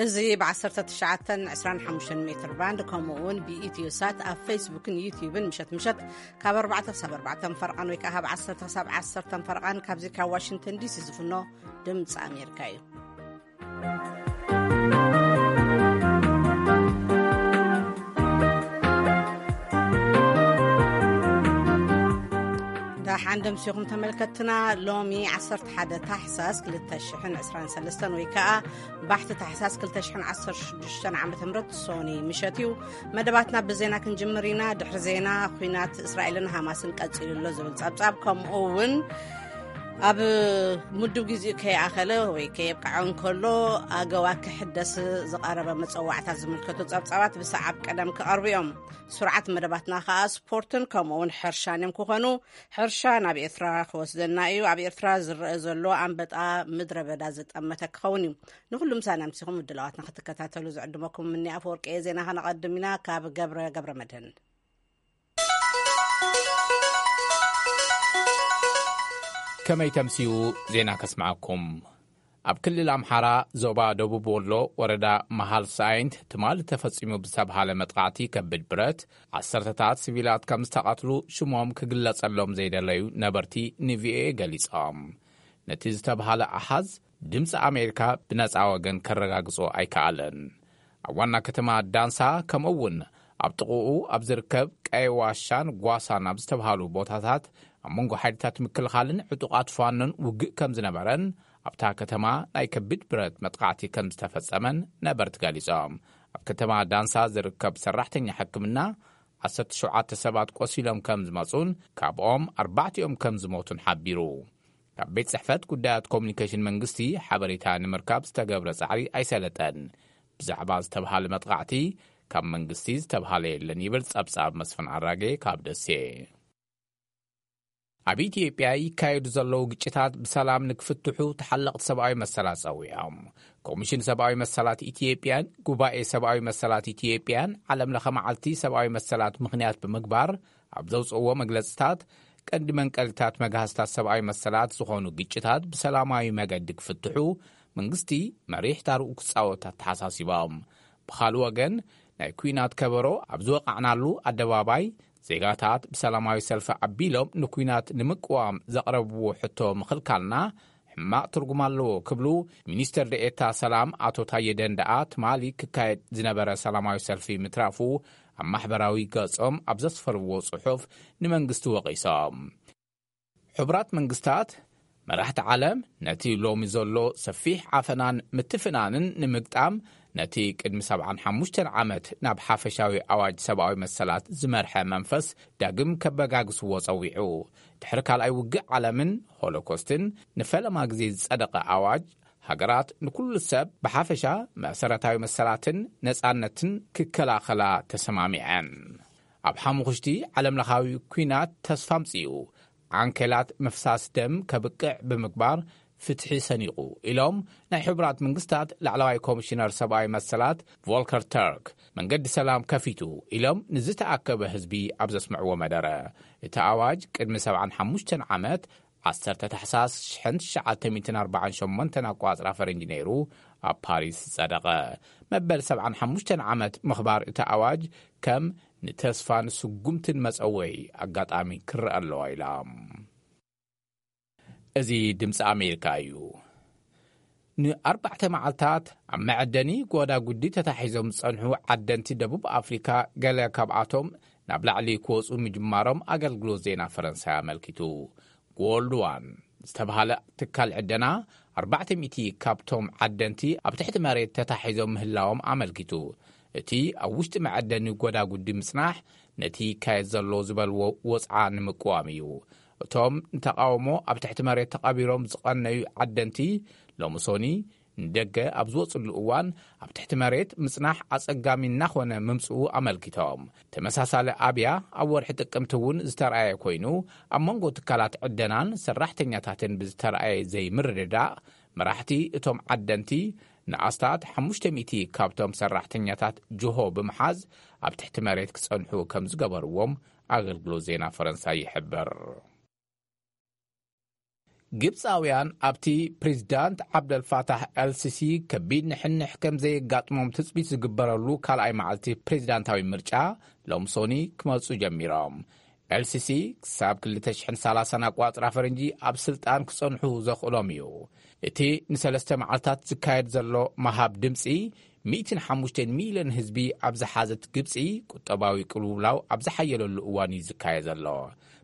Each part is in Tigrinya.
እዚ ብ19 25 ሜትር ባንድ፣ ከምኡ እውን ብኢትዮ ሳት ኣብ ፌስቡክን ዩቲዩብን ምሸት ምሸት ካብ ኣርባዕተ ክሳብ ኣርባዕተ ፈርቓን ወይ ከዓ ካብ ዓሰርተ ክሳብ ዓሰርተ ፈርቓን ካብዚ ካብ ዋሽንግተን ዲሲ ዝፍኖ ድምፂ ኣሜሪካ እዩ። ደሓን ደምሲኹም ተመልከትና። ሎሚ ዓሰርተ ሓደ ታሕሳስ ክልተ ሽሕን ዕስራን ሰለስተን ወይ ከዓ ባሕቲ ታሕሳስ ክልተ ሽሕን ዓሰርተ ሽዱሽተን ዓመተ ምህረት ሶኒ ምሸት እዩ። መደባትና ብዜና ክንጅምር ኢና። ድሕሪ ዜና፣ ኲናት እስራኤልን ሃማስን ቀጺሉ ኣሎ ዝብል ጸብጻብ፣ ከምኡ እውን ኣብ ምዱብ ግዜኡ ከይኣኸለ ወይ ከየብቅዐ እንከሎ ኣገዋ ክሕደስ ዝቐረበ መጸዋዕታ ዝምልከቱ ጸብጻባት ብሰዓብ ቀደም ክቐርቡ እዮም። ስርዓት መደባትና ከኣ ስፖርትን ከምኡ እውን ሕርሻን እዮም ክኾኑ። ሕርሻ ናብ ኤርትራ ክወስደና እዩ። ኣብ ኤርትራ ዝረአ ዘሎ ኣንበጣ ምድረ በዳ ዝጠመተ ክኸውን እዩ። ንኹሉ ምሳና ኣምሲኹም ምድላዋትና ክትከታተሉ ዝዕድመኩም ምኒ ኣፈወርቂ እየ። ዜና ከነቐድም ኢና ካብ ገብረ ገብረ መድህን። ከመይ ተምስዩ ዜና ከስምዓኩም። ኣብ ክልል ኣምሓራ ዞባ ደቡብ ወሎ ወረዳ መሃል ሳይንት ትማሊ ተፈጺሙ ብዝተብሃለ መጥቃዕቲ ከቢድ ብረት ዓሰርተታት ሲቪላት ከም ዝተቐትሉ ሽሞም ክግለጸሎም ዘይደለዩ ነበርቲ ንቪኦኤ ገሊጾም። ነቲ ዝተብሃለ ኣሃዝ ድምፂ ኣሜሪካ ብነፃ ወገን ከረጋግጾ ኣይከኣለን። ኣብ ዋና ከተማ ዳንሳ ከምኡ እውን ኣብ ጥቕኡ ኣብ ዝርከብ ቀይ ዋሻን ጓሳን ኣብ ዝተብሃሉ ቦታታት ኣብ መንጎ ሓይልታት ምክልኻልን ዕጡቓት ፋኖን ውግእ ከም ዝነበረን ኣብታ ከተማ ናይ ከቢድ ብረት መጥቃዕቲ ከም ዝተፈጸመን ነበርቲ ገሊጾም። ኣብ ከተማ ዳንሳ ዝርከብ ሰራሕተኛ ሕክምና ዓሰርተ ሸውዓተ ሰባት ቆሲሎም ከም ዝመጹን ካብኦም ኣርባዕቲኦም ከም ዝሞቱን ሓቢሩ። ካብ ቤት ጽሕፈት ጉዳያት ኮሙኒኬሽን መንግስቲ ሓበሬታ ንምርካብ ዝተገብረ ጻዕሪ ኣይሰለጠን። ብዛዕባ ዝተብሃለ መጥቃዕቲ ካብ መንግስቲ ዝተብሃለ የለን ይብል ጸብጻብ መስፍን ኣራጌ ካብ ደሴ። ኣብ ኢትዮጵያ ይካየዱ ዘለዉ ግጭታት ብሰላም ንክፍትሑ ተሓለቕቲ ሰብኣዊ መሰላት ጸዊዖም። ኮሚሽን ሰብኣዊ መሰላት ኢትዮጵያን ጉባኤ ሰብኣዊ መሰላት ኢትዮጵያን ዓለም ለኸ መዓልቲ ሰብኣዊ መሰላት ምኽንያት ብምግባር ኣብ ዘውፅእዎ መግለፅታት፣ ቀንዲ መንቀሊታት መግሃስታት ሰብኣዊ መሰላት ዝኾኑ ግጭታት ብሰላማዊ መገዲ ክፍትሑ መንግስቲ መሪሕ ታርኡ ክፃወት ኣተሓሳሲቦም። ብኻልእ ወገን፣ ናይ ኲናት ከበሮ ኣብ ዝወቃዕናሉ ኣደባባይ ዜጋታት ብሰላማዊ ሰልፊ ኣቢሎም ንኲናት ንምቅዋም ዘቕረብዎ ሕቶ ምኽልካልና ሕማቕ ትርጉም ኣለዎ ክብሉ ሚኒስትር ደኤታ ሰላም ኣቶ ታየ ደንደኣ ትማሊ ክካየድ ዝነበረ ሰላማዊ ሰልፊ ምትራፉ ኣብ ማሕበራዊ ገጾም ኣብ ዘስፈርዎ ጽሑፍ ንመንግስቲ ወቒሶም። ሕቡራት መንግስታት መራሕቲ ዓለም ነቲ ሎሚ ዘሎ ሰፊሕ ዓፈናን ምትፍናንን ንምግጣም ነቲ ቅድሚ ሰብዓን ሓሙሽተን ዓመት ናብ ሓፈሻዊ ኣዋጅ ሰብኣዊ መሰላት ዝመርሐ መንፈስ ዳግም ከበጋግስዎ ጸዊዑ። ድሕሪ ካልኣይ ውግእ ዓለምን ሆሎኮስትን ንፈለማ ግዜ ዝጸደቐ ኣዋጅ፣ ሃገራት ንኩሉ ሰብ ብሓፈሻ መሰረታዊ መሰላትን ነጻነትን ክከላኸላ ተሰማሚዐን። ኣብ ሓሙኽሽቲ ዓለምለኻዊ ኲናት ተስፋ ኣምጺኡ፣ ዓንኬላት ምፍሳስ ደም ከብቅዕ ብምግባር ፍትሒ ሰኒቑ ኢሎም ናይ ሕቡራት መንግስታት ላዕለዋይ ኮሚሽነር ሰብኣዊ መሰላት ቮልከር ተርክ መንገዲ ሰላም ከፊቱ ኢሎም ንዝተኣከበ ህዝቢ ኣብ ዘስምዕዎ መደረ። እቲ ኣዋጅ ቅድሚ ሰብዓን ሓሙሽተን ዓመት ዓሰርተ ታሕሳስ ሽሕን ትሽዓተ ሚእትን ኣርባዓን ሸሞንተን ኣቋጽራ ፈረንጂ ነይሩ ኣብ ፓሪስ ዝጸደቐ። መበል ሰብዓን ሓሙሽተን ዓመት ምኽባር እቲ ኣዋጅ ከም ንተስፋን ስጉምትን መጸወይ ኣጋጣሚ ክረአ ኣለዋ ኢላ። እዚ ድምፂ ኣሜሪካ እዩ። ንኣርባዕተ መዓልታት ኣብ መዐደኒ ጎዳጉዲ ተታሒዞም ዝጸንሑ ዓደንቲ ደቡብ ኣፍሪካ፣ ገለ ካብኣቶም ናብ ላዕሊ ክወፁ ምጅማሮም ኣገልግሎት ዜና ፈረንሳይ ኣመልኪቱ። ጎልድ ዋን ዝተብሃለ ትካል ዕደና፣ ኣርባዕተ ሚእቲ ካብቶም ዓደንቲ ኣብ ትሕቲ መሬት ተታሒዞም ምህላዎም ኣመልኪቱ። እቲ ኣብ ውሽጢ መዐደኒ ጎዳጉዲ ምጽናሕ ነቲ ይካየድ ዘሎ ዝበልዎ ወጽዓ ንምቅዋም እዩ። እቶም ንተቓውሞ ኣብ ትሕቲ መሬት ተቐቢሮም ዝቐነዩ ዓደንቲ፣ ሎሚ ሶኒ ንደገ ኣብ ዝወጽሉ እዋን ኣብ ትሕቲ መሬት ምጽናሕ ኣጸጋሚ እናኾነ ምምጽኡ ኣመልኪቶም። ተመሳሳሊ ኣብያ ኣብ ወርሒ ጥቅምቲ እውን ዝተረኣየ ኮይኑ፣ ኣብ መንጎ ትካላት ዕደናን ሰራሕተኛታትን ብዝተረኣየ ዘይምርድዳእ፣ መራሕቲ እቶም ዓደንቲ ንኣስታት ሓሙሽተ ሚእቲ ካብቶም ሰራሕተኛታት ጅሆ ብምሓዝ ኣብ ትሕቲ መሬት ክጸንሑ ከም ዝገበርዎም ኣገልግሎት ዜና ፈረንሳይ ይሕብር። ግብጻውያን ኣብቲ ፕሬዚዳንት ዓብደልፋታሕ ኤልሲሲ ከቢድ ንሕንሕ ከም ዘየጋጥሞም ትጽቢት ዝግበረሉ ካልኣይ መዓልቲ ፕሬዚዳንታዊ ምርጫ ሎም ሶኒ ክመጹ ጀሚሮም። ኤልሲሲ ክሳብ ክልተ ሽሕን ሰላሳን ኣቋጽራ ፈረንጂ ኣብ ስልጣን ክጸንሑ ዘኽእሎም እዩ። እቲ ንሰለስተ መዓልታት ዝካየድ ዘሎ መሃብ ድምጺ ሚእትን ሓሙሽተን ሚልዮን ህዝቢ ኣብ ዝሓዘት ግብጺ ቁጠባዊ ቅልውላው ኣብ ዝሓየለሉ እዋን እዩ ዝካየ ዘሎ።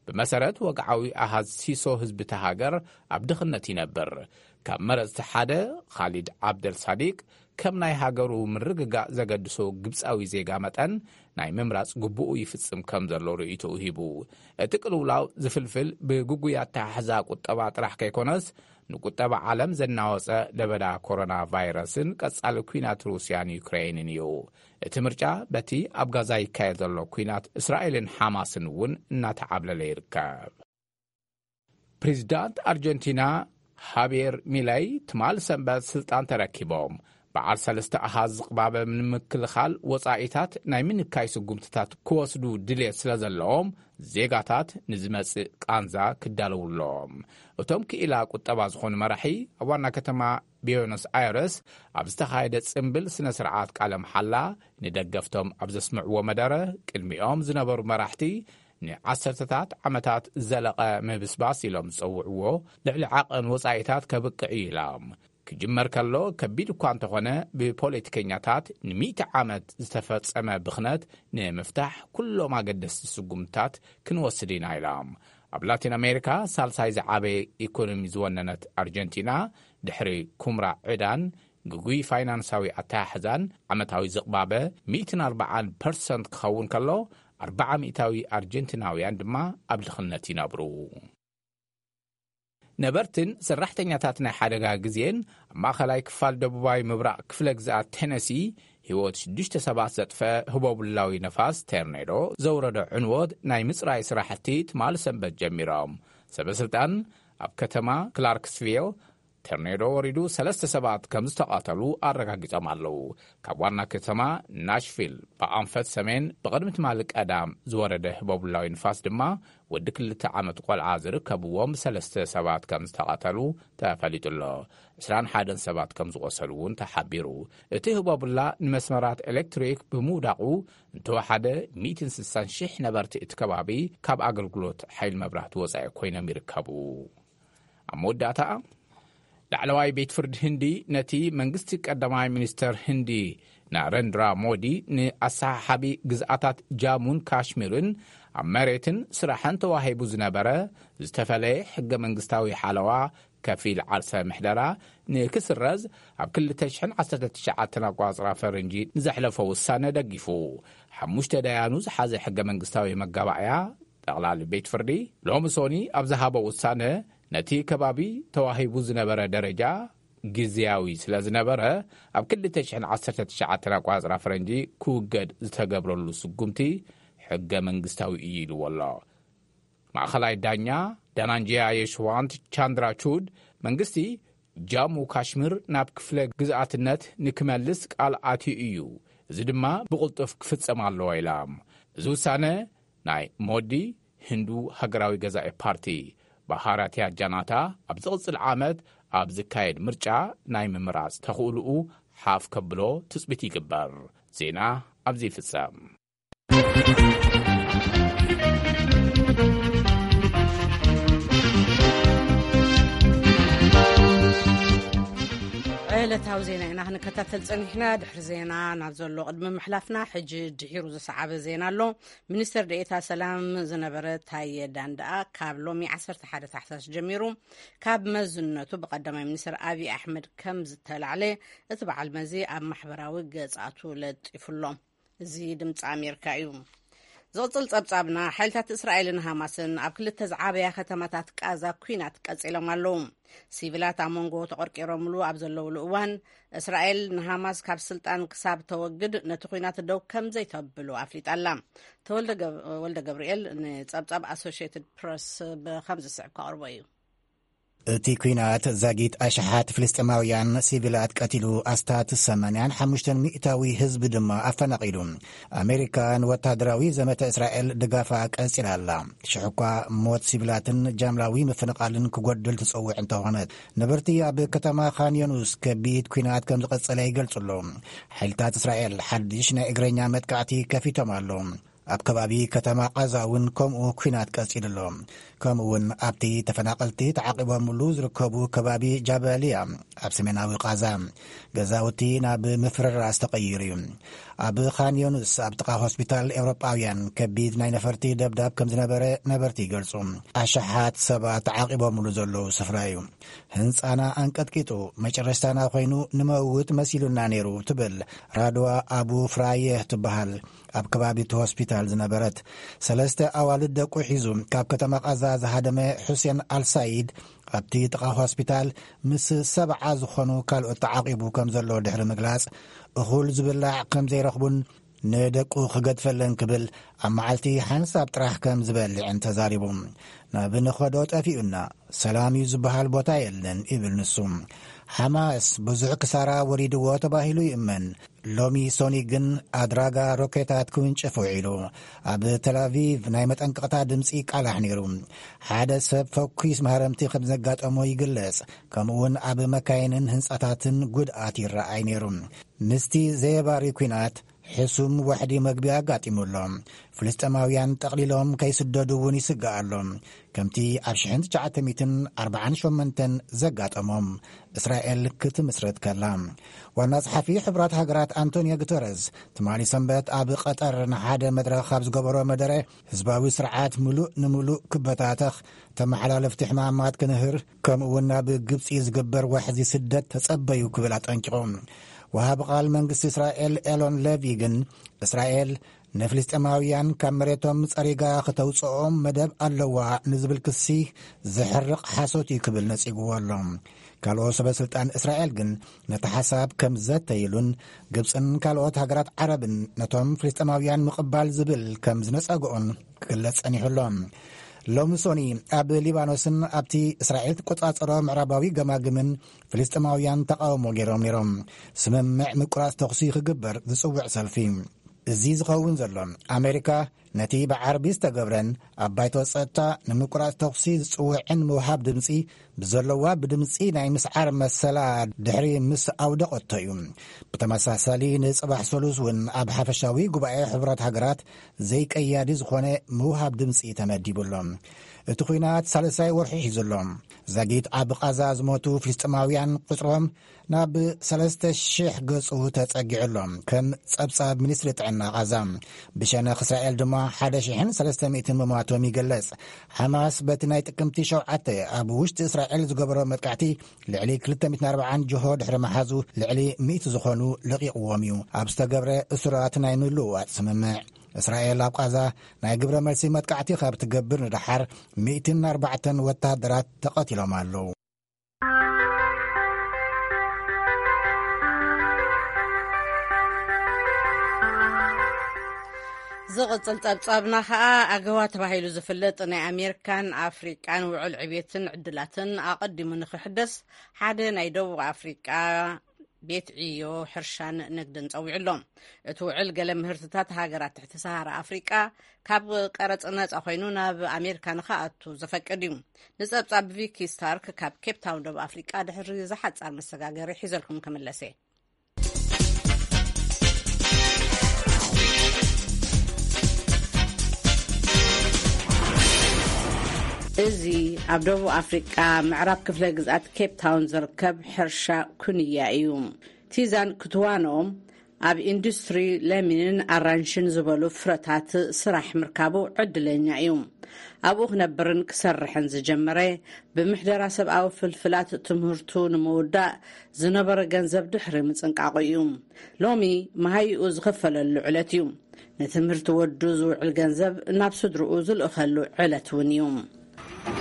ብመሰረት ወግዓዊ ኣሃዝ ሲሶ ህዝቢ እታ ሃገር ኣብ ድኽነት ይነብር። ካብ መረጽቲ ሓደ ኻሊድ ዓብደል ሳዲቅ ከም ናይ ሃገሩ ምርግጋእ ዘገድሶ ግብጻዊ ዜጋ መጠን ናይ ምምራጽ ግቡኡ ይፍጽም ከም ዘሎ ርእይቶኡ ሂቡ። እቲ ቅልውላው ዝፍልፍል ብግጉይ ኣተሓሕዛ ቁጠባ ጥራሕ ከይኮነስ ንቁጠባ ዓለም ዘናወጸ ለበዳ ኮሮና ቫይረስን ቀጻሊ ኲናት ሩስያን ዩክሬንን እዩ። እቲ ምርጫ በቲ ኣብ ጋዛ ይካየድ ዘሎ ኲናት እስራኤልን ሓማስን እውን እናተዓብለለ ይርከብ። ፕሬዚዳንት ኣርጀንቲና ሃብየር ሚለይ ትማል ሰንበት ስልጣን ተረኪቦም። በዓል ሰለስተ ኣሃዝ ዝቕባበ ንምክልኻል ወጻኢታት ናይ ምንካይ ስጉምትታት ክወስዱ ድልየት ስለ ዘለዎም ዜጋታት ንዝመጽእ ቃንዛ ክዳለውሎም። እቶም ክኢላ ቁጠባ ዝኾኑ መራሒ ኣብ ዋና ከተማ ቢዮኖስ ኣይረስ ኣብ ዝተኻየደ ጽምብል ስነ ስርዓት ቃለ መሓላ ንደገፍቶም ኣብ ዘስምዕዎ መደረ ቅድሚኦም ዝነበሩ መራሕቲ ንዓሰርተታት ዓመታት ዝዘለቐ ምብስባስ ኢሎም ዝጸውዕዎ ልዕሊ ዓቐን ወጻኢታት ከብቅዕ እዩ ኢሎም። ክጅመር ከሎ ከቢድ እኳ እንተኾነ ብፖለቲከኛታት ንሚእቲ ዓመት ዝተፈጸመ ብኽነት ንምፍታሕ ኩሎም ኣገደስቲ ስጉምትታት ክንወስድ ኢና ኢሎም። ኣብ ላቲን ኣሜሪካ ሳልሳይ ዝዓበየ ኢኮኖሚ ዝወነነት ኣርጀንቲና ድሕሪ ኩምራ ዕዳን ግጉይ ፋይናንሳዊ ኣተሓሕዛን ዓመታዊ ዝቕባበ ሚእትን ኣርባዓን ፐርሰንት ክኸውን ከሎ ኣርባዓ ሚእታዊ ኣርጀንቲናውያን ድማ ኣብ ድኽነት ይነብሩ። ነበርትን ሰራሕተኛታት ናይ ሓደጋ ግዜን ኣብ ማእኸላይ ክፋል ደቡባዊ ምብራቕ ክፍለ ግዝኣት ቴነሲ ህይወት ሽዱሽተ ሰባት ዘጥፈ ህቦብላዊ ነፋስ ቴርኔዶ ዘውረዶ ዕንወት ናይ ምፅራይ ስራሕቲ ትማል ሰንበት ጀሚሮም። ሰበ ስልጣን ኣብ ከተማ ክላርክስቪል ቴርኔዶ ወሪዱ ሰለስተ ሰባት ከም ዝተቐተሉ ኣረጋጊጾም ኣለዉ። ካብ ዋና ከተማ ናሽቪል ብኣንፈት ሰሜን ብቕድሚ ትማሊ ቀዳም ዝወረደ ህቦብላዊ ንፋስ ድማ ወዲ ክልተ ዓመት ቆልዓ ዝርከብዎም ሰለስተ ሰባት ከም ዝተቐተሉ ተፈሊጡ ኣሎ። ዕስራን ሓደን ሰባት ከም ዝቖሰሉ እውን ተሓቢሩ። እቲ ህቦብላ ንመስመራት ኤሌክትሪክ ብምውዳቑ እንተወሓደ ሚእትን ስሳን ሽሕ ነበርቲ እቲ ከባቢ ካብ ኣገልግሎት ሓይሊ መብራህቲ ወጻኢ ኮይኖም ይርከቡ። ኣብ መወዳእታ ላዕለዋይ ቤት ፍርዲ ህንዲ ነቲ መንግስቲ ቀዳማይ ሚኒስተር ህንዲ ናረንድራ ሞዲ ንኣሰሓሓቢ ግዝኣታት ጃሙን ካሽሚርን ኣብ መሬትን ስራሕን ተዋሂቡ ዝነበረ ዝተፈለየ ሕገ መንግስታዊ ሓለዋ ከፊል ዓርሰ ምሕደራ ንክስረዝ ኣብ ክልተ ሽሕን ዓሰርተ ትሽዓተን ኣቋጽራ ፈረንጂ ንዘሕለፎ ውሳነ ደጊፉ። ሓሙሽተ ደያኑ ዝሓዘ ሕገ መንግስታዊ መጋባእያ ጠቕላሊ ቤት ፍርዲ ሎሚ ሶኒ ኣብ ዝሃቦ ውሳነ ነቲ ከባቢ ተዋሂቡ ዝነበረ ደረጃ ግዝያዊ ስለ ዝነበረ ኣብ ክልተ ሽሕን ዓሰርተ ትሽዓተን ኣቋጽራ ፈረንጂ ክውገድ ዝተገብረሉ ስጉምቲ ሕገ መንግስታዊ እዩ ኢልዎ ኣሎ። ማእኸላይ ዳኛ ዳናንጂያ የሽዋንት ቻንድራቹድ መንግስቲ ጃሙ ካሽሚር ናብ ክፍለ ግዝኣትነት ንክመልስ ቃል ኣትዩ እዩ፣ እዚ ድማ ብቕልጡፍ ክፍጸም ኣለዎ ኢላ። እዚ ውሳነ ናይ ሞዲ ህንዱ ሃገራዊ ገዛኢ ፓርቲ ባሃራትያ ጃናታ ኣብ ዝቕጽል ዓመት ኣብ ዝካየድ ምርጫ ናይ ምምራጽ ተኽእልኡ ሓፍ ከብሎ ትጽቢት ይግበር። ዜና ኣብዚ ይፍጸም። ዕለታዊ ዜና ኢና ክንከታተል ጸኒሕና። ድሕሪ ዜና ናብ ዘሎ ቅድሚ ምሕላፍና፣ ሕጂ ድሒሩ ዝሰዓበ ዜና ኣሎ። ሚኒስተር ደኤታ ሰላም ዝነበረ ታየ ዳንዳኣ ካብ ሎሚ ዓሰርተ ሓደ ታሕሳስ ጀሚሩ ካብ መዝነቱ ብቀዳማይ ሚኒስተር ኣብይ ኣሕመድ ከም ዝተላዕለ እቲ በዓል መዚ ኣብ ማሕበራዊ ገጻቱ ለጢፉ ኣሎ። እዚ ድምፂ ኣሜሪካ እዩ። ዝቕፅል ጸብጻብና፣ ሓይልታት እስራኤልን ሃማስን ኣብ ክልተ ዝዓበያ ከተማታት ቃዛ ኲናት ቀጺሎም ኣለዉ። ሲቪላት ኣብ መንጎ ተቖርቂሮምሉ ኣብ ዘለውሉ እዋን፣ እስራኤል ንሃማስ ካብ ስልጣን ክሳብ ተወግድ ነቲ ኲናት ደው ከም ዘይተብሎ ኣፍሊጣ ኣላ። ተወልደ ገብ-፣ ወልደ ገብርኤል ንጸብጻብ ኣሶሽየትድ ፕረስ ብኸም ዝስዕብ ከቕርቦ እዩ። እቲ ኲናት ዛጊት ኣሽሓት ፍልስጤማውያን ሲቪላት ቀቲሉ፣ ኣስታት ሰማንያን ሓሙሽተን ሚእታዊ ህዝቢ ድማ ኣፈናቒሉ። ኣሜሪካ ንወታደራዊ ዘመተ እስራኤል ድጋፋ ቀጺላ ኣላ። ሽሕኳ ሞት ሲቪላትን ጃምላዊ ምፍንቓልን ክጎድል ትጸውዕ እንተኾነት፣ ነበርቲ ኣብ ከተማ ካን ዮኑስ ከቢድ ኲናት ከም ዝቐጸለ ይገልጹ ኣለዉ። ሓይልታት እስራኤል ሓድሽ ናይ እግረኛ መጥቃዕቲ ከፊቶም ኣለዉ። ኣብ ከባቢ ከተማ ቓዛ እውን ከምኡ ኲናት ቀጺሉ ኣሎ። ከምኡ እውን ኣብቲ ተፈናቐልቲ ተዓቂቦምሉ ዝርከቡ ከባቢ ጃበልያ ኣብ ሰሜናዊ ቓዛ፣ ገዛውቲ ናብ ምፍርራስ ተቐይሩ እዩ። ኣብ ኻን ዮኑስ ኣብ ጥቓ ሆስፒታል ኤውሮጳውያን ከቢድ ናይ ነፈርቲ ደብዳብ ከም ዝነበረ ነበርቲ ይገልጹ። ኣሽሓት ሰባት ተዓቂቦምሉ ዘለዉ ስፍራ እዩ። ህንጻና ኣንቀጥቂጡ፣ መጨረሽታና ኮይኑ ንመውት መሲሉና ነይሩ፣ ትብል ራድዋ ኣቡ ፍራየህ ትበሃል፣ ኣብ ከባቢ እቲ ሆስፒታል ዝነበረት። ሰለስተ ኣዋልድ ደቁ ሒዙ ካብ ከተማ ቓዛ ዝሃደመ ሑሴን ኣልሳይድ፣ ኣብቲ ጥቓ ሆስፒታል ምስ ሰብዓ ዝኾኑ ካልኦት ተዓቂቡ ከም ዘሎ ድሕሪ ምግላጽ፣ እኹል ዝብላዕ ከም ዘይረኽቡን ንደቁ ክገድፈለን ክብል ኣብ መዓልቲ ሓንሳብ ጥራሕ ከም ዝበልዕን ተዛሪቡ። ናብ ንኸዶ ጠፊኡና፣ ሰላም እዩ ዝበሃል ቦታ የለን፣ ይብል ንሱ። ሓማስ ብዙሕ ክሳራ ወሪድዎ ተባሂሉ ይእመን። ሎሚ ሶኒ ግን ኣድራጋ ሮኬታት ክውንጭፍ ውዒሉ። ኣብ ተላቪቭ ናይ መጠንቀቕታ ድምፂ ቃላሕ ነይሩ። ሓደ ሰብ ፈኲስ ማህረምቲ ከም ዘጋጠሞ ይግለጽ። ከምኡውን ኣብ መካይንን ህንጻታትን ጉድኣት ይረኣይ ነይሩ። ምስቲ ዘየባሪ ኲናት፣ ሕሱም ዋሕዲ መግቢ ኣጋጢሙ ኣሎ። ፍልስጤማውያን ጠቕሊሎም ከይስደዱ እውን ይስጋእ ኣሎ። ከምቲ ኣብ ሽሕን ትሽዓተ ሚእትን ኣርባዓን ሸሞንተን ዘጋጠሞም፣ እስራኤል ክትምስረት ከላ። ዋና ጸሓፊ ሕቡራት ሃገራት ኣንቶኒዮ ጉተረዝ ትማሊ ሰንበት ኣብ ቀጠር ንሓደ መድረኽ ኣብ ዝገበሮ መደረ፣ ህዝባዊ ስርዓት ምሉእ ንምሉእ ክበታተኽ፣ ተመሓላለፍቲ ሕማማት ክንህር፣ ከምኡ እውን ናብ ግብጺ ዝግበር ዋሕዚ ስደት ተጸበዩ ክብል ኣጠንቂቑ። ወሃቢ ቃል መንግስቲ እስራኤል ኤሎን ሌቪ ግን፣ እስራኤል ንፍልስጤማውያን ካብ መሬቶም ጸሪጋ ክተውጽኦም መደብ ኣለዋ ንዝብል ክሲ ዘሕርቕ ሓሶት እዩ ክብል ነጺግዎ ኣሎ። ካልኦት ሰበ ስልጣን እስራኤል ግን ነቲ ሓሳብ ከም ዘተይሉን፣ ግብጽን ካልኦት ሃገራት ዓረብን ነቶም ፍልስጤማውያን ምቕባል ዝብል ከም ዝነጸግኦን ክግለጽ ጸኒሑ ኣሎ። ሎሚ ሶኒ ኣብ ሊባኖስን ኣብቲ እስራኤል ትቆጻጸሮ ምዕራባዊ ገማግምን ፍልስጤማውያን ተቃውሞ ገይሮም ነይሮም። ስምምዕ ምቁራጽ ተኹሲ ክግበር ዝጽውዕ ሰልፊ። እዚ ዝኸውን ዘሎ፣ ኣሜሪካ ነቲ ብዓርቢ ዝተገብረን ኣብ ባይቶ ጸጥታ ንምቁራጽ ተኹሲ ዝጽውዕን ምውሃብ ድምጺ ብዘለዋ ብድምጺ ናይ ምስዓር መሰላ ድሕሪ ምስ ኣውደቐቶ እዩ። ብተመሳሳሊ ንጽባሕ ሰሉስ እውን ኣብ ሓፈሻዊ ጉባኤ ሕቡራት ሃገራት ዘይቀያዲ ዝኾነ ምውሃብ ድምጺ ተመዲቡ ኣሎ። እቲ ኲናት ሳልሳይ ወርሒ ሒዙ ኣሎ። ዛጊት ኣብ ቓዛ ዝሞቱ ፍልስጤማውያን ቁጽሮም ናብ ሰለስተ ሽሕ ገጹ ተጸጊዑ ኣሎ። ከም ጸብጻብ ሚኒስትሪ ጥዕና ቓዛ፣ ብሸነኽ እስራኤል ድማ ሓደ ሽሕን ሰለስተ ሚእትን ምሟቶም ይግለጽ። ሓማስ በቲ ናይ ጥቅምቲ ሸውዓተ ኣብ ውሽጢ እስራኤል ዝገበሮ መጥቃዕቲ ልዕሊ ክልተ ሚእትን ኣርባዓን ጅሆ ድሕሪ መሓዙ፣ ልዕሊ ሚእቲ ዝኾኑ ለቒቕዎም እዩ። ኣብ ዝተገብረ እሱራት ናይ ምልውዋጥ ስምምዕ፣ እስራኤል ኣብ ቓዛ ናይ ግብረ መልሲ መጥቃዕቲ ካብ ትገብር ንደሓር ሚእትን ኣርባዕተን ወታሃደራት ተቐቲሎም ኣለዉ። ዝቕጽል ጸብጻብና ኸኣ፣ ኣገዋ ተባሂሉ ዝፍለጥ ናይ ኣሜሪካን ኣፍሪቃን ውዕል ዕቤትን ዕድላትን ኣቐዲሙ ንኽሕደስ፣ ሓደ ናይ ደቡብ ኣፍሪቃ ቤት ዕዮ፣ ሕርሻን ንግድን ጸዊዑ ኣሎ። እቲ ውዕል፣ ገለ ምህርትታት ሃገራት ትሕቲ ሰሃራ ኣፍሪቃ ካብ ቀረጽ ነጻ ኮይኑ ናብ ኣሜሪካ ንኽኣቱ ዘፈቅድ እዩ። ንጸብጻብ ቪኪ ስታርክ ካብ ኬፕ ታውን፣ ደቡብ ኣፍሪቃ፣ ድሕሪ ዝሓጻር መሰጋገሪ ሒዘልኩም ክምለስ እየ። እዚ ኣብ ደቡብ ኣፍሪቃ፣ ምዕራብ ክፍለ ግዝኣት ኬፕ ታውን ዝርከብ ሕርሻ ኩንያ እዩ። ቲዛን ክትዋኖ ኣብ ኢንዱስትሪ ለሚንን ኣራንሽን ዝበሉ ፍረታት ስራሕ ምርካቡ ዕድለኛ እዩ። ኣብኡ ክነብርን ክሰርሕን ዝጀመረ፣ ብምሕደራ ሰብኣዊ ፍልፍላት ትምህርቱ ንምውዳእ ዝነበረ ገንዘብ ድሕሪ ምጽንቃቑ እዩ። ሎሚ መሃይኡ ዝኸፈለሉ ዕለት እዩ። ንትምህርቲ ወዱ ዝውዕል ገንዘብ ናብ ስድርኡ ዝልእኸሉ ዕለት እውን እዩ።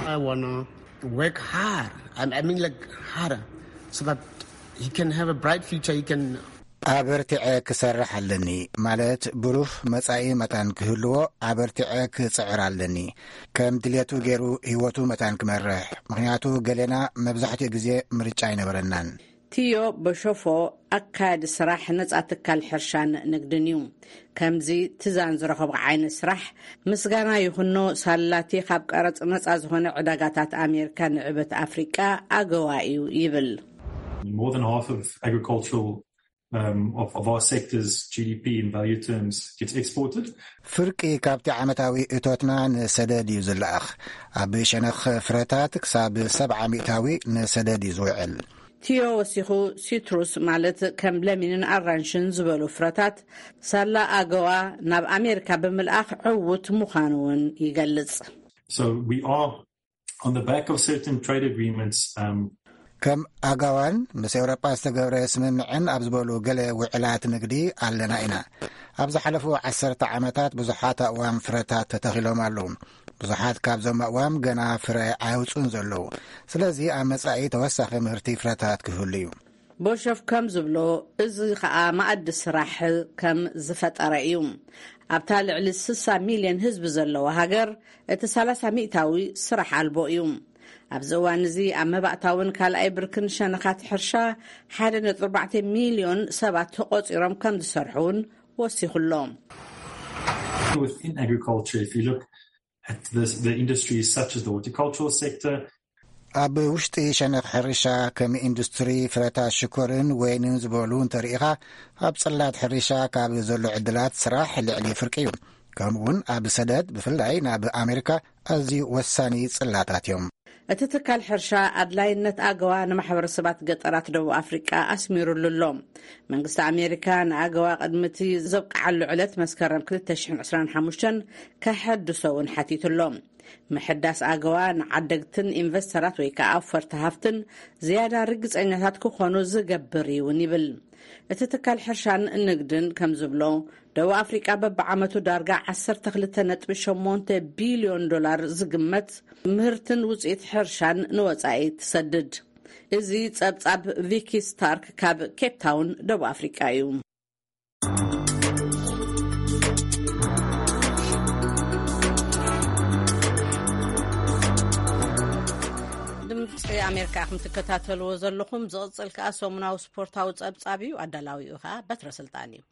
I wanna work hard. I, I mean, like, harder, so that he can have a bright future. He can ኣበርቲዐ ክሰርሕ ኣለኒ፣ ማለት ብሩህ መጻኢ መታን ክህልዎ ኣበርቲዐ ክጽዕር ኣለኒ። ከም ድልየቱ ገይሩ ህይወቱ መታን ክመርሕ፣ ምኽንያቱ ገሌና መብዛሕትኡ ግዜ ምርጫ ኣይነበረናን። ቲዮ በሾፎ ኣካያዲ ስራሕ ነጻ ትካል ሕርሻን ንግድን እዩ። ከምዚ ትዛን ዝረኸቦ ዓይነት ስራሕ ምስጋና ይኹኖ፣ ሳላቲ ካብ ቀረጽ ነጻ ዝኾነ ዕዳጋታት ኣሜሪካ ንዕበት ኣፍሪቃ ኣገዋ እዩ ይብል። More than half of agricultural, um, of, of our sector's G D P in value terms gets exported. ፍርቂ ካብቲ ዓመታዊ እቶትና ንሰደድ እዩ ዝለኣኽ። ኣብ ሸነኽ ፍረታት ክሳብ ሰብዓ ሚእታዊ ንሰደድ እዩ ዝውዕል። ቲዮ ወሲኹ፣ ሲትሩስ ማለት ከም ለሚንን ኣራንሽን ዝበሉ ፍረታት ሳላ ኣገዋ ናብ ኣሜሪካ ብምልኣኽ ዕዉት ምዃኑ እውን ይገልጽ። So we are on the back of certain trade agreements, um, ከም ኣጋዋን ምስ ኤውሮጳ ዝተገብረ ስምምዕን ኣብ ዝበሉ ገለ ውዕላት ንግዲ ኣለና ኢና። ኣብ ዝሓለፉ ዓሰርተ ዓመታት ብዙሓት ኣእዋም ፍረታት ተተኺሎም ኣለዉ። ብዙሓት ካብዞም ኣእዋም ገና ፍረ ኣየውፅኡን ዘለዉ። ስለዚ ኣብ መጻኢ ተወሳኺ ምህርቲ ፍረታት ክህሉ እዩ። ቦሸፍ ከም ዝብሎ፣ እዚ ኸኣ መኣዲ ስራሕ ከም ዝፈጠረ እዩ። ኣብታ ልዕሊ ስሳ ሚልዮን ህዝቢ ዘለዋ ሃገር፣ እቲ ሰላሳ ሚእታዊ ስራሕ ኣልቦ እዩ። ኣብዚ እዋን እዚ ኣብ መባእታውን ካልኣይ ብርክን ሸነኻት ሕርሻ ሓደ ነጥቢ ኣርባዕተ ሚልዮን ሰባት ተቖጺሮም ከም ዝሰርሑ እውን ወሲኹ ኣሎ። Within agriculture, if you look at this, the industries such as the horticultural sector, ኣብ ውሽጢ ሸነኽ ሕርሻ ከም ኢንዱስትሪ ፍረታት ሽኮርን ወይንን ዝበሉ እንተርኢኻ፣ ኣብ ጽላት ሕርሻ ካብ ዘሎ ዕድላት ስራሕ ልዕሊ ፍርቂ እዩ። ከምኡውን ኣብ ሰደድ ብፍላይ ናብ ኣሜሪካ ኣዝዩ ወሳኒ ጽላታት እዮም። እቲ ትካል ሕርሻ ኣድላይነት ኣገዋ ንማሕበረሰባት ገጠራት ደቡብ ኣፍሪቃ ኣስሚሩሉ ኣሎ። መንግስቲ ኣሜሪካ ንኣገዋ ቅድሚ እቲ ዘብቅዓሉ ዕለት መስከረም ክልተ ሽሕን ዕስራን ሓሙሽተን ከሐድሶ እውን ሓቲቱ ኣሎ። ምሕዳስ ኣገዋ ንዓደግትን ኢንቨስተራት ወይ ከዓ ኣውፈርቲ ሃፍትን ዝያዳ ርግፀኛታት ክኾኑ ዝገብር እውን ይብል። እቲ ትካል ሕርሻን ንግድን ከም ዝብሎ፣ ደቡብ ኣፍሪቃ በብዓመቱ ዳርጋ ዓሰርተ ክልተ ነጥቢ ሸሞንተ ቢልዮን ዶላር ዝግመት ምህርትን ውፅኢት ሕርሻን ንወፃኢ ትሰድድ። እዚ ፀብፃብ ቪኪ ስታርክ ካብ ኬፕ ታውን ደቡብ ኣፍሪቃ እዩ። ድምፂ ኣሜሪካ ኢኹም ትከታተልዎ ዘለኹም። ዝቕፅል ከዓ ሰሙናዊ ስፖርታዊ ፀብፃብ እዩ። ኣዳላዊኡ ከዓ በትረ ስልጣን እዩ።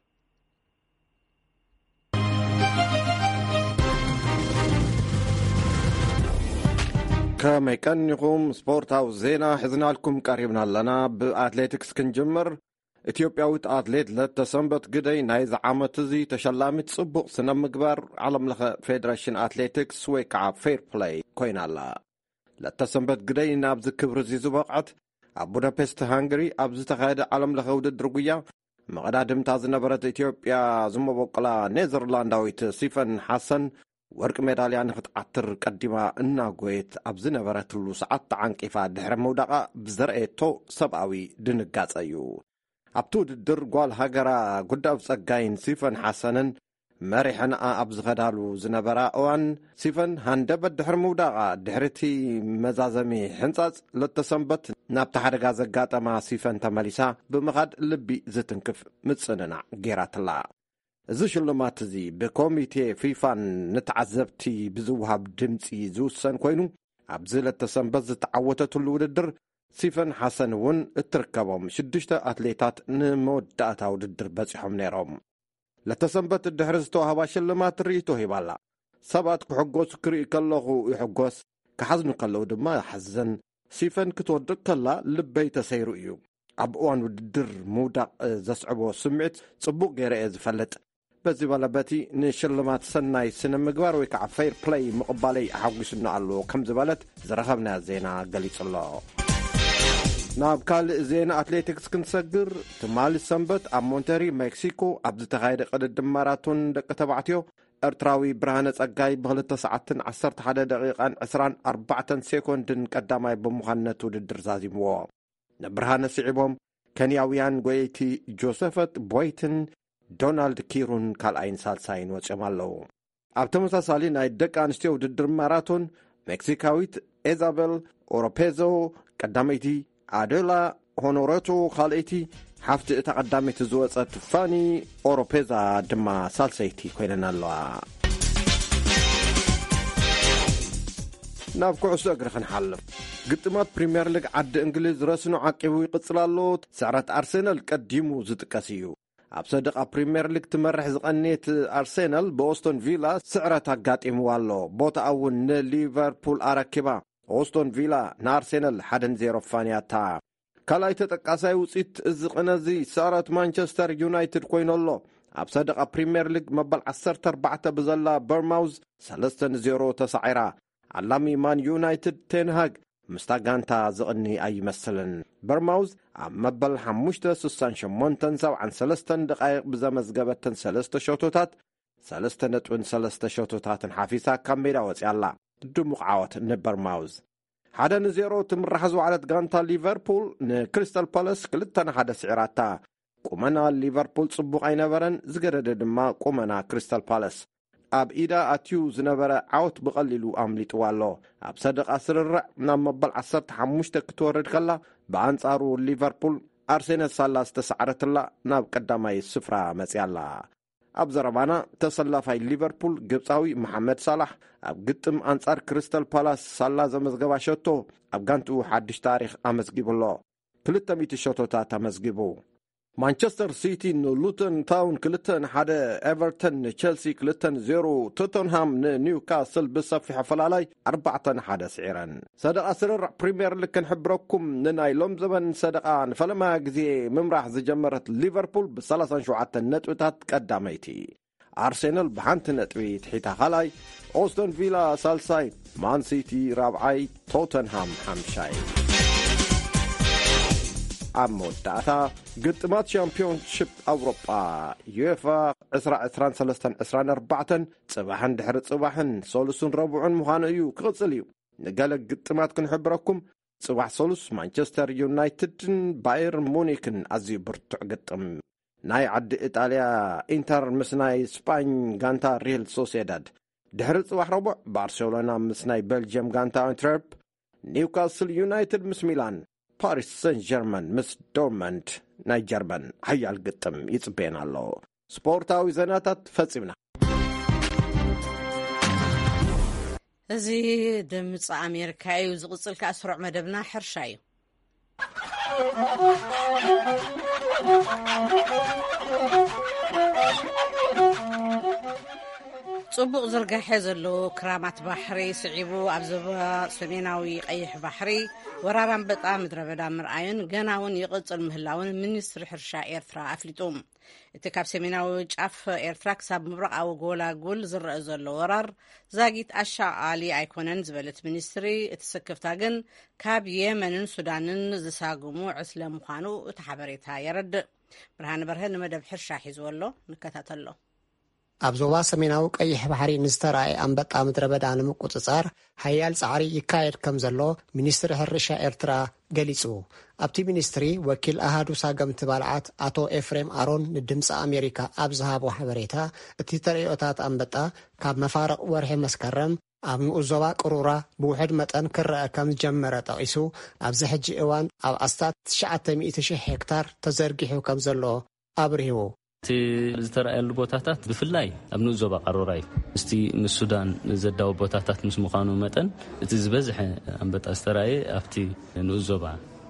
ከመይ ቀኒኹም? ስፖርታዊ ዜና ሒዝናልኩም ቀሪብና ኣለና። ብኣትሌቲክስ ክንጅምር። ኢትዮጵያዊት ኣትሌት ለተሰንበት ግደይ ናይዚ ዓመት እዚ ተሸላሚት ጽቡቕ ስነ ምግባር ዓለም ለኸ ፌደሬሽን ኣትሌቲክስ ወይ ከዓ ፌር ፕለይ ኮይና ኣላ። ለተሰንበት ግደይ ናብዚ ክብሪ እዚ ዝበቕዐት ኣብ ቡዳፔስት ሃንግሪ ኣብ ዝተኻየደ ዓለም ለኸ ውድድር ጉያ መቐዳድምታ ዝነበረት ኢትዮጵያ ዝመበቆላ ኔዘርላንዳዊት ሲፈን ሓሰን ወርቂ ሜዳልያ ንኽትዓትር ቀዲማ እናጎየት ኣብ ዝነበረትሉ ሰዓት ተዓንቂፋ ድሕሪ ምውዳቓ ብዘርእየቶ ሰብኣዊ ድንጋጸ እዩ። ኣብቲ ውድድር ጓል ሃገራ ጉዳፍ ጸጋይን ሲፈን ሓሰንን መሪሐንኣ ኣብ ዝኸዳሉ ዝነበራ እዋን፣ ሲፈን ሃንደበት ድሕሪ ምውዳቓ፣ ድሕሪ እቲ መዛዘሚ ሕንጻጽ ለተሰንበት ናብቲ ሓደጋ ዘጋጠማ ሲፈን ተመሊሳ ብምኻድ ልቢ ዝትንክፍ ምጽንናዕ ገይራትላ። እዚ ሽልማት እዚ ብኮሚቴ ፊፋን ንተዓዘብቲ ብዝወሃብ ድምጺ ዝውሰን ኮይኑ፣ ኣብዚ ለተሰንበት ዝተዓወተትሉ ውድድር ሲፈን ሓሰን እውን እትርከቦም ሽዱሽተ ኣትሌታት ንመወዳእታ ውድድር በጺሖም ነይሮም። ለተሰንበት ድሕሪ ዝተዋህባ ሽልማት ርእይቶ ሂባላ። ሰባት ክሕጎሱ ክርኢ ከለኹ ይሕጎስ፣ ክሓዝኑ ከለዉ ድማ ይሓዝን። ሲፈን ክትወድቕ ከላ ልበይ ተሰይሩ እዩ። ኣብ እዋን ውድድር ምውዳቕ ዘስዕቦ ስምዒት ጽቡቕ ገይረ እየ ዝፈልጥ። በዚ በለ በቲ ንሽልማት ሰናይ ስነ ምግባር ወይ ከዓ ፌር ፕለይ ምቕባለይ ኣሓጒሱኒ ኣሎ ከም ዝበለት ዝረኸብናዮ ዜና ገሊጹ ኣሎ። ናብ ካልእ ዜና ኣትሌቲክስ ክንሰግር፣ ትማሊ ሰንበት ኣብ ሞንተሪ ሜክሲኮ ኣብ ዝተኻየደ ቅድድም ማራቶን ደቂ ተባዕትዮ፣ ኤርትራዊ ብርሃነ ጸጋይ ብክልተ ሰዓትን ዓሰርተ ሓደ ደቂቓን ዕስራን ኣርባዕተን ሴኮንድን ቀዳማይ ብምዃን ነቲ ውድድር ዛዚምዎ። ንብርሃነ ስዒቦም ኬንያውያን ጎየይቲ ጆሰፈት ቦይትን ዶናልድ ኪሩን ካልኣይን ሳልሳይን ወጺኦም ኣለዉ። ኣብ ተመሳሳሊ ናይ ደቂ ኣንስትዮ ውድድር ማራቶን፣ ሜክሲካዊት ኤዛቤል ኦሮፔዞ ቀዳመይቲ፣ ኣዶላ ሆኖረቶ ካልኣይቲ፣ ሓፍቲ እታ ቀዳመይቲ ዝወጸት ፋኒ ኦሮፔዛ ድማ ሳልሰይቲ ኮይነን ኣለዋ። ናብ ኩዕሶ እግሪ ክንሓልፍ። ግጥማት ፕሪምየር ሊግ ዓዲ እንግሊዝ ረስኑ ዓቂቡ ይቕጽል ኣሎ። ስዕረት ኣርሴናል ቀዲሙ ዝጥቀስ እዩ። ኣብ ሰደቓ ፕሪምየር ሊግ ትመርሕ ዝቐንየት ኣርሴናል ብኦስቶን ቪላ ስዕረት ኣጋጢምዋ ኣሎ። ቦታኣ እውን ንሊቨርፑል ኣረኪባ። ኦስቶን ቪላ ንኣርሴናል ሓደ ንዜሮ ፋንያታ። ካልኣይ ተጠቃሳይ ውፅኢት እዚ ቅነ እዚ ስዕረት ማንቸስተር ዩናይትድ ኮይኑ ኣሎ። ኣብ ሰደቓ ፕሪምየር ሊግ መበል ዓሰርተ ኣርባዕተ ብዘላ በርማውዝ ሰለስተ ንዜሮ ተሳዒራ። ዓላሚ ማን ዩናይትድ ቴንሃግ ምስታ ጋንታ ዝቕኒ ኣይመስልን። በርማውዝ ኣብ መበል ሓሙሽተ ስሳን ሸሞንተን ሰብዓን ሰለስተን ደቓይቕ ብዘመዝገበተን ሰለስተ ሸቶታት ሰለስተ ነጥብን ሰለስተ ሸቶታትን ሓፊሳ ካብ ሜዳ ወፂኣ ኣላ። ድሙቕ ዓወት ንበርማውዝ። ሓደ ንዜሮ ትምራሕ ዝወዓለት ጋንታ ሊቨርፑል ንክሪስታል ፓላስ ክልተ ንሓደ ስዒራታ። ቁመና ሊቨርፑል ጽቡቕ ኣይነበረን፣ ዝገደደ ድማ ቁመና ክሪስታል ፓላስ። ኣብ ኢዳ ኣትዩ ዝነበረ ዓወት ብቐሊሉ ኣምሊጥዋ ኣሎ። ኣብ ሰደቓ ስርርዕ ናብ መበል ዓሰርተ ሓሙሽተ ክትወርድ ከላ፣ ብኣንጻሩ ሊቨርፑል ኣርሴናል ሳላ ዝተሳዕረትላ ናብ ቀዳማይ ስፍራ መጽያ ኣላ። ኣብ ዘረባና ተሰላፋይ ሊቨርፑል ግብጻዊ መሓመድ ሳላሕ ኣብ ግጥም ኣንጻር ክሪስታል ፓላስ ሳላ ዘመዝገባ ሸቶ ኣብ ጋንትኡ ሓድሽ ታሪኽ ኣመዝጊቡ ኣሎ። ክልተ ሚእቲ ሸቶታት ኣመዝጊቡ። ማንቸስተር ሲቲ ንሉተን ታውን ክልተ ንሓደ፣ ኤቨርተን ንቸልሲ ክልተ ንዜሮ፣ ቶተንሃም ንኒውካስል ብሰፊሕ ኣፈላላይ ኣርባዕተ ንሓደ ስዒረን። ሰደቓ ስርርዕ ፕሪምየር ሊግ ክንሕብረኩም፣ ንናይ ሎም ዘበን ሰደቓ ንፈለማ ግዜ ምምራሕ ዝጀመረት ሊቨርፑል ብ ሰላሳን ሸውዓተን ነጥብታት ቀዳመይቲ። ኣርሴናል ብሓንቲ ነጥቢ ትሒታ ካልኣይ፣ ኦስቶን ቪላ ሳልሳይ፣ ማን ሲቲ ራብዓይ፣ ቶተንሃም ሓምሻይ። ኣብ መወዳእታ ግጥማት ሻምፒዮንሺፕ ኣውሮጳ ዩኤፋ ዕስራ ዕስራን ሰለስተን ዕስራን ኣርባዕተን ጽባሕን ድሕሪ ጽባሕን ሰሉስን ረቡዕን ምዃኑ እዩ ክቕጽል እዩ። ንገለ ግጥማት ክንሕብረኩም፣ ጽባሕ ሰሉስ ማንቸስተር ዩናይትድን ባየር ሙኒክን ኣዝዩ ብርቱዕ ግጥም። ናይ ዓዲ ኢጣልያ ኢንተር ምስ ናይ ስጳኝ ጋንታ ሪል ሶሴዳድ፣ ድሕሪ ጽባሕ ረቡዕ ባርሴሎና ምስ ናይ ቤልጅየም ጋንታ ኣንትረርፕ፣ ኒውካስል ዩናይትድ ምስ ሚላን፣ ፓሪስ ሰን ጀርመን ምስ ዶርመንድ ናይ ጀርመን ሓያል ግጥም ይጽበየና ኣሎ። ስፖርታዊ ዜናታት ፈጺምና። እዚ ድምፂ ኣሜሪካ እዩ። ዝቕፅል ከኣ ስሩዕ መደብና ሕርሻ እዩ። ጽቡቕ ዝርጋሐ ዘለዎ ክራማት ባሕሪ ስዒቡ ኣብ ዞባ ሰሜናዊ ቀይሕ ባሕሪ ወራር ኣንበጣ ምድረ በዳ ምርኣዩን ገና እውን ይቕጽል ምህላውን ሚኒስትሪ ሕርሻ ኤርትራ ኣፍሊጡ። እቲ ካብ ሰሜናዊ ጫፍ ኤርትራ ክሳብ ምብራቓዊ ጎላጉል ዝረአ ዘሎ ወራር ዛጊት ኣሻቓሊ ኣይኮነን ዝበለት ሚኒስትሪ፣ እቲ ስክፍታ ግን ካብ የመንን ሱዳንን ዝሳጉሙ ዕስለ ምዃኑ እቲ ሓበሬታ የረድእ። ብርሃነ በርሀ ንመደብ ሕርሻ ሒዝዎ ኣሎ፣ ንከታተሎ። ኣብ ዞባ ሰሜናዊ ቀይሕ ባሕሪ ንዝተራእየ ኣንበጣ ምድረ በዳ ንምቁጽጻር ሓያል ጻዕሪ ይካየድ ከም ዘሎ ሚኒስትሪ ሕርሻ ኤርትራ ገሊጹ። ኣብቲ ሚኒስትሪ ወኪል ኣሃዱ ሳገምቲ ባልዓት ኣቶ ኤፍሬም ኣሮን ንድምፂ ኣሜሪካ ኣብ ዝሃቦ ሓበሬታ፣ እቲ ተርእዮታት ኣንበጣ ካብ መፋርቕ ወርሒ መስከረም ኣብ ንኡስ ዞባ ቅሩራ ብውሑድ መጠን ክረአ ከም ዝጀመረ ጠቒሱ፣ ኣብዚ ሕጂ እዋን ኣብ ኣስታት ትሽዓተ ሚእቲ ሺሕ ሄክታር ተዘርጊሑ ከም ዘሎ ኣብሪሁ። እቲ ዝተረኣየሉ ቦታታት ብፍላይ ኣብ ንኡስ ዞባ ቃሮራ እዩ። ምስቲ ምስ ሱዳን ዘዳው ቦታታት ምስ ምዃኑ መጠን፣ እቲ ዝበዝሐ ኣንበጣ ዝተረኣየ ኣብቲ ንኡስ ዞባ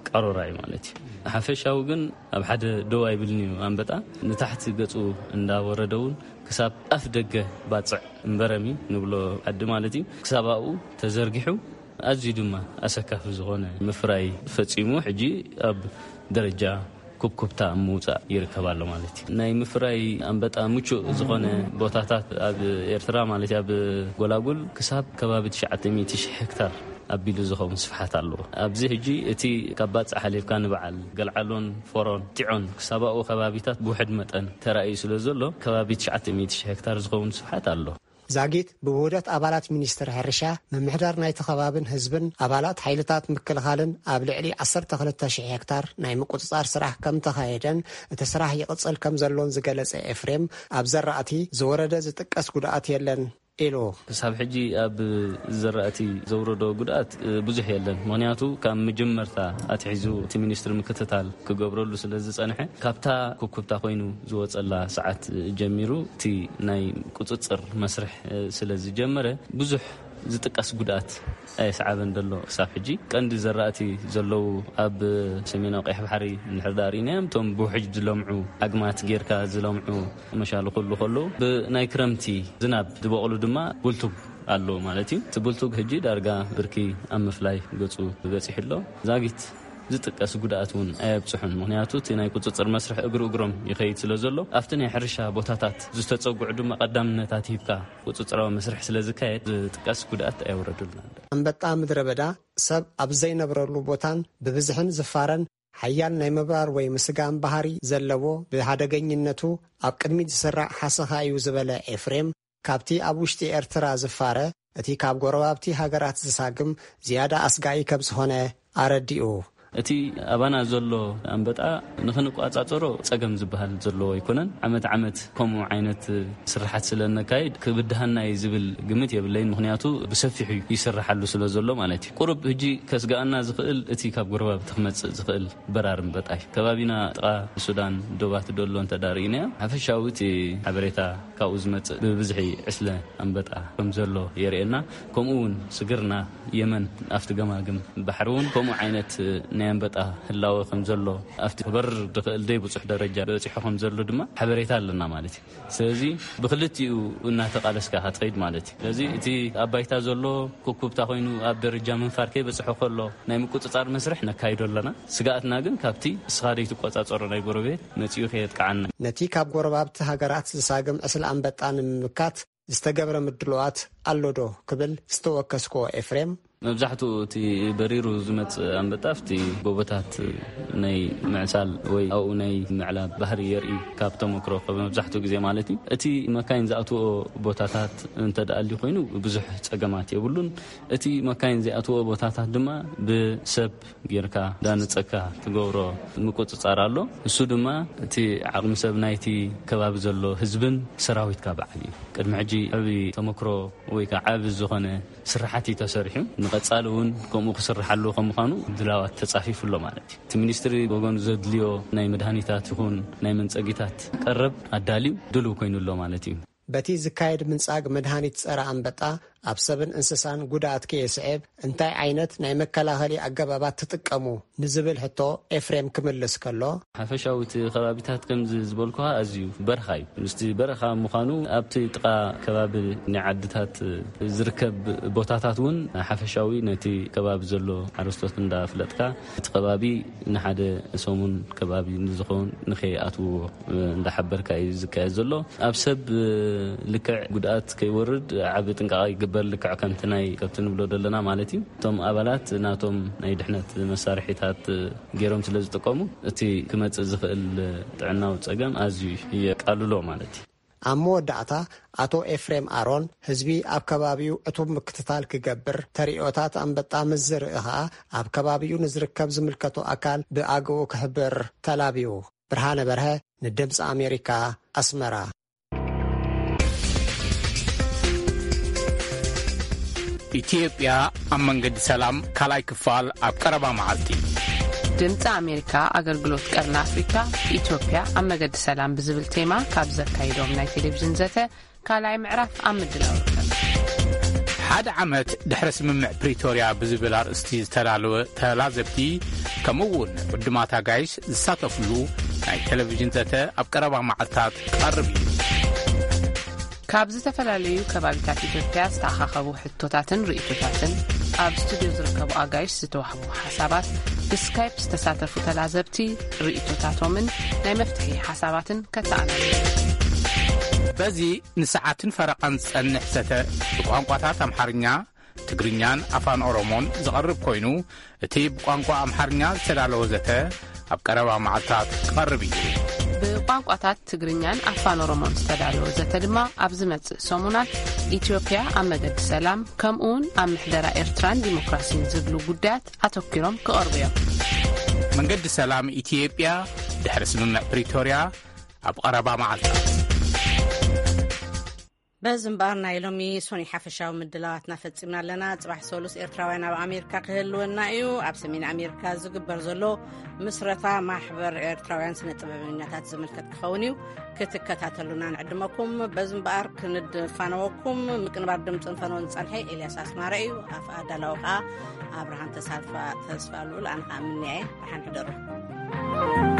ቃሮራ እዩ ማለት እዩ። ሓፈሻዊ ግን ኣብ ሓደ ደው ኣይብልን እዩ ኣንበጣ። ንታሕቲ ገጹ እንዳወረደ እውን ክሳብ ኣፍ ደገ ባጽዕ እምበረሚ ንብሎ ዓዲ ማለት እዩ፣ ክሳብ ኣብኡ ተዘርጊሑ፣ ኣዝዩ ድማ ኣሰካፊ ዝኾነ ምፍራይ ፈጺሙ፣ ሕጂ ኣብ ደረጃ ኩብኩብታ ኣብ ምውጻእ ይርከብ ኣሎ ማለት እዩ። ናይ ምፍራይ ኣንበጣ ምቹእ ዝኾነ ቦታታት ኣብ ኤርትራ ማለት እዩ፣ ኣብ ጎላጉል ክሳብ ከባቢ ትሽዓተ ሚእቲ ሺሕ ሄክታር ኣቢሉ ዝኸውን ስፍሓት ኣለዎ። ኣብዚ ሕጂ እቲ ካብ ባጽዕ ሓሊፍካ ንበዓል ገልዓሎን ፎሮን ጢዖን ክሳብ ኣብኡ ከባቢታት ብውሕድ መጠን ተራእዩ ስለ ዘሎ፣ ከባቢ ትሽዓተ ሚእቲ ሺሕ ሄክታር ዝኸውን ስፍሓት ኣሎ። ዛጊት ብውህደት ኣባላት ሚኒስትሪ ሕርሻ፣ ምምሕዳር ናይቲ ከባብን ህዝብን፣ ኣባላት ሓይልታት ምክልኻልን ኣብ ልዕሊ ዓሰርተ ክልተ ሺሕ ሄክታር ናይ ምቁጽጻር ስራሕ ከም ተኻየደን እቲ ስራሕ ይቕጽል ከም ዘሎን ዝገለጸ ኤፍሬም፣ ኣብ ዘራእቲ ዝወረደ ዝጥቀስ ጉድኣት የለን ኢሉ። ክሳብ ሕጂ ኣብ ዘራእቲ ዘውረዶ ጉድኣት ብዙሕ የለን። ምኽንያቱ ካብ መጀመርታ ኣትሒዙ እቲ ሚኒስትሪ ምክትታል ክገብረሉ ስለ ዝጸንሐ፣ ካብታ ኩብኩብታ ኮይኑ ዝወጸላ ሰዓት ጀሚሩ እቲ ናይ ቁጽጽር መስርሕ ስለ ዝጀመረ፣ ብዙሕ ዝጥቀስ ጉድኣት ኣየስዓበን ዘሎ። ክሳብ ሕጂ ቀንዲ ዘራእቲ ዘለዉ ኣብ ሰሜናዊ ቀይሕ ባሕሪ እንድሕር ደኣ ርኢናዮም፣ እቶም ብውሕጅ ዝለምዑ፣ ኣግማት ጌርካ ዝለምዑ መሻሉ ኩሉ ከለዉ፣ ብናይ ክረምቲ ዝናብ ዝበቕሉ ድማ ቡልቱግ ኣሎ ማለት እዩ። እቲ ቡልቱግ ሕጂ ዳርጋ ብርኪ ኣብ ምፍላይ ገጹ በጺሑ ኣሎ። ዛጊት ዝጥቀስ ጉድኣት እውን ኣየብጽሑን። ምኽንያቱ እቲ ናይ ቁጽጽር መስርሕ እግሪ እግሮም ይኸይድ ስለ ዘሎ፣ ኣብቲ ናይ ሕርሻ ቦታታት ዝተጸጉዑ ድማ ቀዳምነታት ሂብካ ቁጽጽራዊ መስርሕ ስለ ዝካየድ ዝጥቀስ ጉድኣት ኣየውረዱልና። ኣንበጣ ምድረ በዳ ሰብ ኣብ ዘይነብረሉ ቦታን ብብዝሕን ዝፋረን ሓያል ናይ ምብራር ወይ ምስጋም ባህሪ ዘለዎ፣ ብሓደገኝነቱ ኣብ ቅድሚት ዝስራዕ ሓሰኻ እዩ ዝበለ ኤፍሬም፣ ካብቲ ኣብ ውሽጢ ኤርትራ ዝፋረ፣ እቲ ካብ ጎረባብቲ ሃገራት ዝሳግም ዝያዳ ኣስጋኢ ከም ዝኾነ ኣረዲኡ። እቲ ኣባና ዘሎ ኣንበጣ ንኽንቋጻጸሮ ጸገም ዝበሃል ዘለዎ ኣይኮነን። ዓመት ዓመት ከምኡ ዓይነት ስርሓት ስለ እነካይድ ክብድሃና እዩ ዝብል ግምት የብለይን። ምኽንያቱ ብሰፊሑ ይስርሓሉ ስለ ዘሎ ማለት እዩ። ቁሩብ ሕጂ ከስግኣና ዝኽእል እቲ ካብ ጎረባብቲ ክመጽእ ዝኽእል በራሪ ኣንበጣ እዩ። ከባቢና ጥቓ ሱዳን ዶባት ደሎ እንተ ደኣ ርኢናዮ፣ ሓፈሻዊ እቲ ሓበሬታ ካብኡ ዝመጽእ ብብዝሒ ዕስለ ኣንበጣ ከም ዘሎ የርእየና። ከምኡ እውን ስግርና የመን ኣብቲ ገማግም ባሕሪ እውን ከምኡ ዓይነት ናይ ኣንበጣ ህላወ ከም ዘሎ፣ ኣብቲ ክበርር ዝኽእል ዘይብጹሕ ደረጃ በጺሑ ከም ዘሎ ድማ ሓበሬታ ኣለና ማለት እዩ። ስለዚ ብክልቲኡ እናተቓለስካ ክትኸይድ ማለት እዩ። ስለዚ እቲ ኣብ ባይታ ዘሎ ኩብኩብታ ኮይኑ ኣብ ደረጃ ምንፋር ከይበጽሖ ከሎ ናይ ምቁጽጻር መስርሕ ነካይዶ ኣለና። ስግኣትና ግን ካብቲ እስኻ ዘይትቆጻጸሮ ናይ ጎረቤት መጺኡ ከየጥቅዓና። ነቲ ካብ ጎረባብቲ ሃገራት ዝሳግም ዕስለ ኣንበጣ ንምምካት ዝተገብረ ምድልዋት ኣሎ ዶ ክብል ዝተወከስክዎ ኤፍሬም፣ መብዛሕትኡ እቲ በሪሩ ዝመጽእ ኣንበጣ ኣብቲ ጎቦታት ናይ ምዕሳል ወይ ኣብኡ ናይ ምዕላብ ባህሪ የርኢ፣ ካብ ተመክሮ መብዛሕትኡ ግዜ ማለት እዩ። እቲ መካይን ዝኣትዎ ቦታታት እንተ ደኣ ኣልዩ ኮይኑ ብዙሕ ጸገማት የብሉን። እቲ መካይን ዘይኣትዎ ቦታታት ድማ ብሰብ ጌርካ ዳነጸካ ትገብሮ ምቁጽጻር ኣሎ። እሱ ድማ እቲ ዓቕሚ ሰብ ናይቲ ከባቢ ዘሎ ህዝብን ሰራዊትካ በዓል እዩ። ቅድሚ ሕጂ ዓቢ ተመክሮ ወይ ከዓ ዓቢ ዝኾነ ስራሓት እዩ ተሰሪሑ። ንቐጻሊ እውን ከምኡ ክስርሓሉ ከም ምዃኑ ድላዋት ተጻፊፉ ኣሎ ማለት እዩ። እቲ ሚኒስትሪ ወገኑ ዘድልዮ ናይ መድሃኒታት ይኹን ናይ መንጸጊታት ቀረብ ኣዳልዩ ድልው ኮይኑ ኣሎ ማለት እዩ። በቲ ዝካየድ ምንጻግ መድሃኒት ጸረ ኣንበጣ ኣብ ሰብን እንስሳን ጉድኣት ከየስዕብ እንታይ ዓይነት ናይ መከላኸሊ ኣገባባት ትጥቀሙ ንዝብል ሕቶ ኤፍሬም ክምልስ ከሎ፣ ሓፈሻዊ እቲ ከባቢታት ከምዚ ዝበልኩኻ ኣዝዩ በረኻ እዩ። ምስቲ በረኻ ምዃኑ ኣብቲ ጥቓ ከባቢ ናይ ዓድታት ዝርከብ ቦታታት እውን ሓፈሻዊ ነቲ ከባቢ ዘሎ ሓረስቶት እንዳፍለጥካ እቲ ከባቢ ንሓደ ሰሙን ከባቢ ንዝኸውን ንኸይኣትውዎ እንዳሓበርካ እዩ ዝካየድ ዘሎ። ኣብ ሰብ ልክዕ ጉድኣት ከይወርድ ዓቢ ጥንቃቐ ይግበር፣ ልክዕ ከምቲ ናይ ከብቲ ንብሎ ዘለና ማለት እዩ። እቶም ኣባላት ናቶም ናይ ድሕነት መሳርሒታት ገይሮም ስለ ዝጥቀሙ እቲ ክመጽእ ዝኽእል ጥዕናዊ ጸገም ኣዝዩ የቃልሎ ማለት እዩ። ኣብ መወዳእታ ኣቶ ኤፍሬም ኣሮን ህዝቢ ኣብ ከባቢኡ ዕቱብ ምክትታል ክገብር፣ ተርእዮታት ኣንበጣ ምስ ዝርኢ ኸኣ ኣብ ከባቢኡ ንዝርከብ ዝምልከቶ ኣካል ብኣግኡ ክሕብር ተላብዩ። ብርሃነ በርሀ ንድምፂ ኣሜሪካ ኣስመራ። ኢትዮጵያ ኣብ መንገዲ ሰላም ካልኣይ ክፋል ኣብ ቀረባ መዓልቲ። ድምፂ ኣሜሪካ ኣገልግሎት ቀርኒ ኣፍሪካ ኢትዮጵያ ኣብ መገዲ ሰላም ብዝብል ቴማ ካብ ዘካይዶም ናይ ቴሌቪዥን ዘተ ካልኣይ ምዕራፍ ኣብ ምድላው ይርከብ። ሓደ ዓመት ድሕሪ ስምምዕ ፕሪቶርያ ብዝብል ኣርእስቲ ዝተዳለወ ተላዘብቲ ከምኡ እውን ዕዱማት ኣጋይሽ ዝሳተፍሉ ናይ ቴሌቪዥን ዘተ ኣብ ቀረባ መዓልታት ክቐርብ እዩ። ካብ ዝተፈላለዩ ከባቢታት ኢትዮጵያ ዝተኣኻኸቡ ሕቶታትን ርእይቶታትን ኣብ ስቱድዮ ዝርከቡ ኣጋይሽ ዝተዋህቡ ሓሳባት ብስካይፕ ዝተሳተፉ ተላዘብቲ ርእይቶታቶምን ናይ መፍትሒ ሓሳባትን ከተኣናግዱ። በዚ ንሰዓትን ፈረቓን ዝጸንሕ ዘተ ብቋንቋታት ኣምሓርኛ፣ ትግርኛን ኣፋን ኦሮሞን ዝቐርብ ኮይኑ እቲ ብቋንቋ ኣምሓርኛ ዝተዳለወ ዘተ ኣብ ቀረባ መዓልታት ክቐርብ እዩ። ብቋንቋታት ትግርኛን ኣፋን ኦሮሞን ዝተዳለወ ዘተ ድማ ኣብ ዝመጽእ ሰሙናት ኢትዮጵያ ኣብ መገዲ ሰላም ከምኡውን ኣብ ምሕደራ ኤርትራን ዲሞክራሲን ዝብሉ ጉዳያት ኣተኪሮም ክቐርቡ እዮም። መንገዲ ሰላም ኢትዮጵያ ድሕሪ ስምምዕ ፕሪቶርያ ኣብ ቀረባ መዓልታት። በዚ እምበኣር ናይ ሎሚ ሶኒ ሓፈሻዊ ምድላዋትና ፈጺምና ኣለና። ጽባሕ ሰሉስ ኤርትራውያን ኣብ ኣሜሪካ ክህልወና እዩ። ኣብ ሰሜን ኣሜሪካ ዝግበር ዘሎ ምስረታ ማሕበር ኤርትራውያን ስነ ጥበበኛታት ዝምልከት ክኸውን እዩ። ክትከታተሉና ንዕድመኩም። በዚ እምበኣር ክንድፋነወኩም ምቅንባር ድምፅን ፈነውን ዝጸንሐ ኤልያስ ኣስማረ እዩ። ኣፍ ኣዳላዊ ከኣ ኣብርሃም ተሳልፋ ተስፋ ልኡል ኣነ ከኣ ምንያየ። ደሓን ሕደሩ።